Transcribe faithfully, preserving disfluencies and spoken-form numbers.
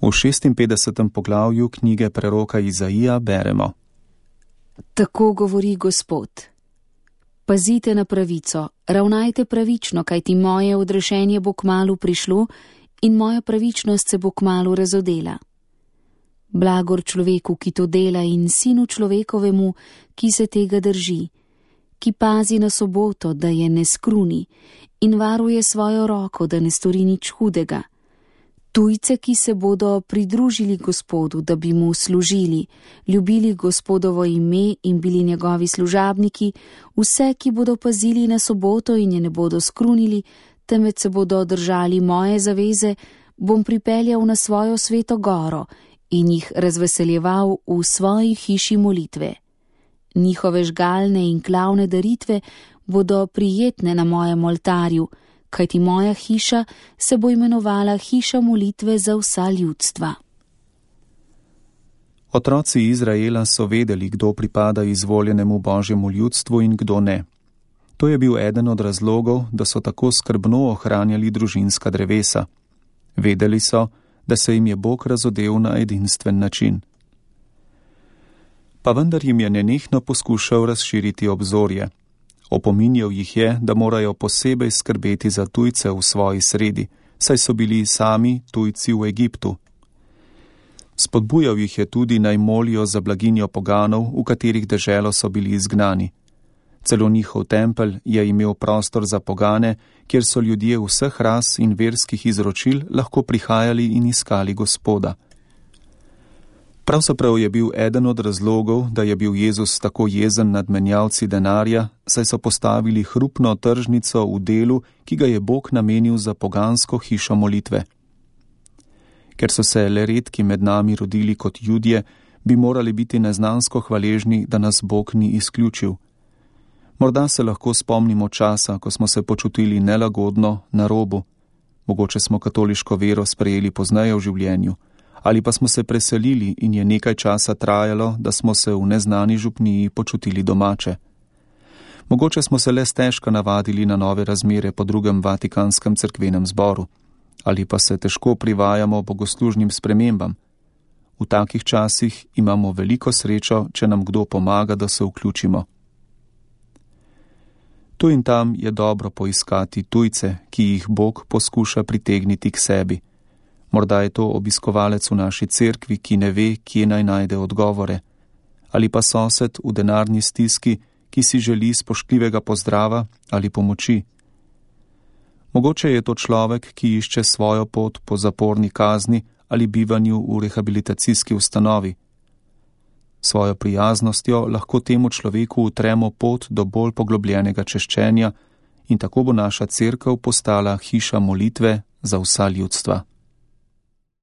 V šestinpetdesetem poglavju knjige preroka Izaija beremo: Tako govori Gospod. Pazite na pravico, ravnajte pravično, kajti moje odrešenje bo kmalu prišlo in moja pravičnost se bo kmalu razodela. Blagor človeku, ki to dela, in sinu človekovemu, ki se tega drži, ki pazi na soboto, da je ne skruni, in varuje svojo roko, da ne stori nič hudega. Tujce, ki se bodo pridružili Gospodu, da bi mu služili, ljubili Gospodovo ime in bili njegovi služabniki, vse, ki bodo pazili na soboto in je ne bodo skrunili, temveč se bodo držali moje zaveze, bom pripeljal na svojo sveto goro in jih razveseljeval v svoji hiši molitve. Njihove žgalne in klavne daritve bodo prijetne na mojem oltarju, kajti moja hiša se bo imenovala hiša molitve za vsa ljudstva. Otroci Izraela so vedeli, kdo pripada izvoljenemu Božjemu ljudstvu in kdo ne. To je bil eden od razlogov, da so tako skrbno ohranjali družinska drevesa. Vedeli so, da se jim je Bog razodel na edinstven način. Pa vendar jim je nenehno poskušal razširiti obzorje. Opominjal jih je, da morajo posebej skrbeti za tujce v svoji sredi, saj so bili sami tujci v Egiptu. Spodbujal jih je tudi, naj molijo za blaginjo poganov, v katerih deželo so bili izgnani. Celo njihov tempelj je imel prostor za pogane, kjer so ljudje vseh ras in verskih izročil lahko prihajali in iskali Gospoda. Pravzaprav je bil eden od razlogov, da je bil Jezus tako jezen nad menjalci denarja, saj so postavili hrupno tržnico v delu, ki ga je Bog namenil za pogansko hišo molitve. Ker so se le redki med nami rodili kot Judje, bi morali biti neznansko hvaležni, da nas Bog ni izključil. Morda se lahko spomnimo časa, ko smo se počutili nelagodno, na robu. Mogoče smo katoliško vero sprejeli pozneje v življenju. Ali pa smo se preselili in je nekaj časa trajalo, da smo se v neznani župniji počutili domače. Mogoče smo se le stežka navadili na nove razmere po drugem Vatikanskem cerkvenem zboru. Ali pa se težko privajamo bogoslužnim spremembam. V takih časih imamo veliko srečo, če nam kdo pomaga, da se vključimo. Tu in tam je dobro poiskati tujce, ki jih Bog poskuša pritegniti k sebi. Morda je to obiskovalec v naši cerkvi, ki ne ve, kje naj najde odgovore. Ali pa sosed v denarni stiski, ki si želi spoštljivega pozdrava ali pomoči. Mogoče je to človek, ki išče svojo pot po zaporni kazni ali bivanju v rehabilitacijski ustanovi. Svojo prijaznostjo lahko temu človeku utremo pot do bolj poglobljenega češčenja in tako bo naša cerkev postala hiša molitve za vsa ljudstva.